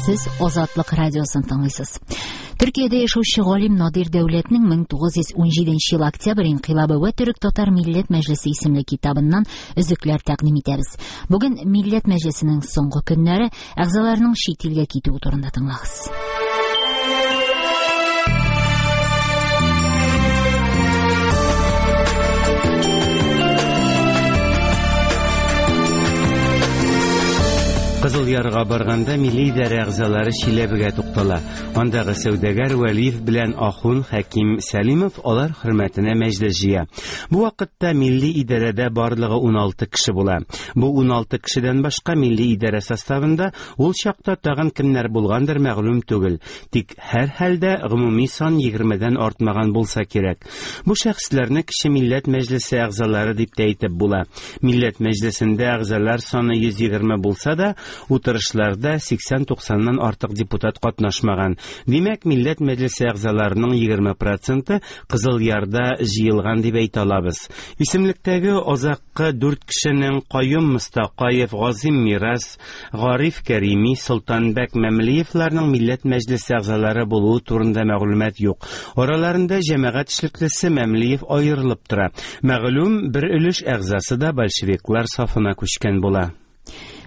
Сез Азатлык радиосын тыңлыйсыз. Төркиядә яшәүче галим Надир Дәүләтнең 1917 ел октябрь инкыйлабы вә төрек-татар милләт мәҗлесе исемле китабыннан өзекләр тәкъдим итәбез. Бүген Милләт мәҗлесенең соңгы көннәре, әгъзаларының чит илгә китүе турында тыңлагыз. Кызыл Ярга барганда милли идарә әгъзалары Чиләбегә туктала. Андагы сәүдәгәр Вәлиев белән Ахун Хәким Сәлимов алар хөрмәтенә мәҗлес җыя. Бу вакытта милли идарәдә барлыгы 16 кеше була. Бу 16 кешедән башка милли идарә составында ул чакта тагын кемнәр булгандыр мәгълүм түгел. Тик һәрхәлдә гомуми сан егермедән артмаган булса кирәк. Бу шәхесләрне кече милләт мәҗлесе әгъзалары дип тә әйтеп була. Милләт мәҗлесендә әгъзалар саны 120 булса да, утырышларда 80-90ннан артык депутат катнашмаган. Димәк, Милләт мәҗлесе әгъзаларының 20 проценты Кызыл Ярда җыелган дип әйтә алабыз. Исемлектәге азаккы дүрт кешенең Каюм Мостакаев, Газыйм Мирас, Гариф Кәрими, Солтанбәк Мәмлиевларның Милләт Мәҗлесе әгъзалары булуы турында мәгълүмат юк. Араларында җәмәгать эшлеклесе Мәмлиев аерылып тора. Мәгълүм, бер өлеш әгъзасы да большевиклар сафына күчкән була.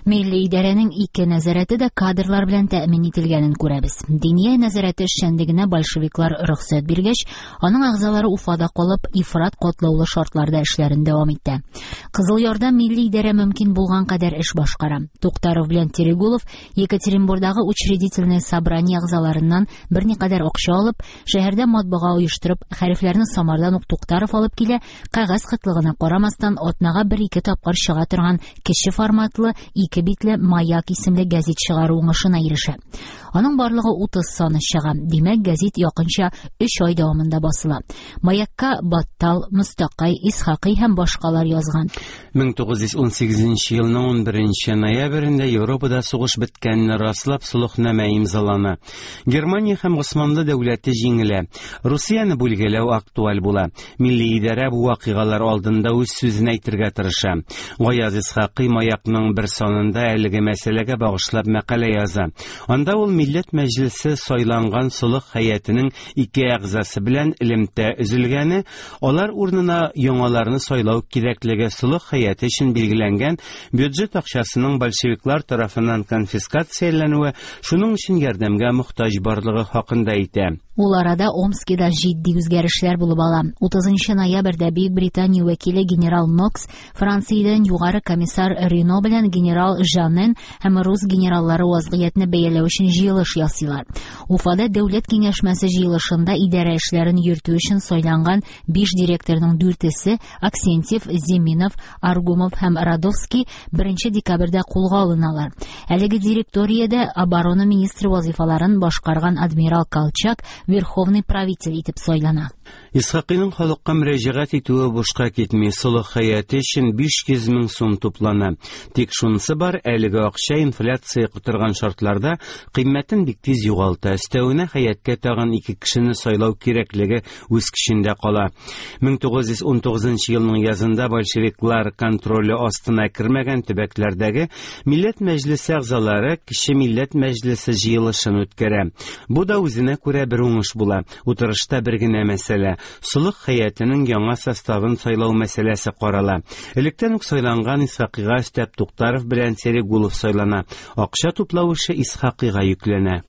Милли идарәнең ике нәзарәте дә кадрлар белән тәэмин ителгәнен күрәбез. Диния нәзарәте эшчәнлегенә большевиклар рөхсәт биргәч, аның әгъзалары Уфада калып, ифрат катлаулы шартларда эшләрен дәвам итә. Кызыл Ярда милли идарә мөмкин булган кадәр эш башкара. Туктаров белән Терегулов Екатеринбурдагы учредительное собрание әгъзаларыннан берникадәр акча алып, шәһәрдә матбага оештырып, хәрефләрне Самардан ук Туктаров алып килә, кәгазь кытлыгына карамастан, атнага бер-ике тапкыр чыга торган кече форматлы, ике битле Маяк исемле гәзит чыгару уңышына ирешә. Аның барлыгы 30 саны чыга. Димәк, гәзит якынча 3 ай дәвамында басыла. Маякка Баттал, Мостакай, Исхакый һәм башкалар язган. 1918 елның 11 ноябрендә Европада сугыш беткәнне раслап солыхнамә имзалана. Германия һәм Госманлы дәүләте җиңелә. Русияне бүлгәләү актуаль була. Милли идарә бу вакыйгалар алдында үз сүзен әйтергә тырыша. Гаяз Исхакый Маякның бер санында әлеге мәсьәләгә багышлап мәкалә яза. Анда ул Милләт Мәҗлесе сайланган солых һәйәтенең ике әгъзасы белән элемтә өзелгәне, алар урынына яңаларны сайлау кирәклеге, солых һәйәте өчен билгеләнгән бюджет акчасының большевиклар тарафыннан конфискацияләнүе, шуның өчен ярдәмгә мохтаҗ барлыгы хакында әйтә. Ул арада Омскида җитди үзгәрешләр булып ала. 30 ноябрьдә Бөек Британия вәкиле генерал Нокс Франциядән югары комиссар Рено белән генерал Жанен һәм рус генераллары вазгыятьне бәяләү өчен җыелыш ясыйлар. Уфада дәүләт киңәшмәсе җыелышында идарә эшләрен йөртү өчен сайланган биш директорның дүртесе Аксентьев, Зиминов, Аргумов һәм Радовский 1 декабрьдә кулга алыналар. Әлеге директориядә оборона министры вазифаларын башкарган адмирал Колчак верховный правитель итеп сайлана. Исхакыйның халыкка мөрәҗәгать итүе бушка китми, солых хәяте өчен 500 мең сум туплана. Тик шунысы бар, әлеге акча инфляция котырган шартларда кыйммәтен бик тиз югалта. Өстәвенә хәяткә тагын ике кешене сайлау кирәклеге үз көчендә кала. 1919 елның язында большевиклар контроле астына кермәгән төбәкләрдәге Милләт Мәҗлесе әгъзалары Кече Милләт Мәҗлесе җыелышын үткәрә. Бу да үзенә күрә бер уңыш була. Утырышта бер генә мәсьәлә, Солых һәйәтенең яңа составын сайлау мәсьәләсе карала. Электән үк сайланган Исхакыйга өстәп Туктаров белән Серегулов сайлана. Акча туплау эше Исхакыйга йөкләнә.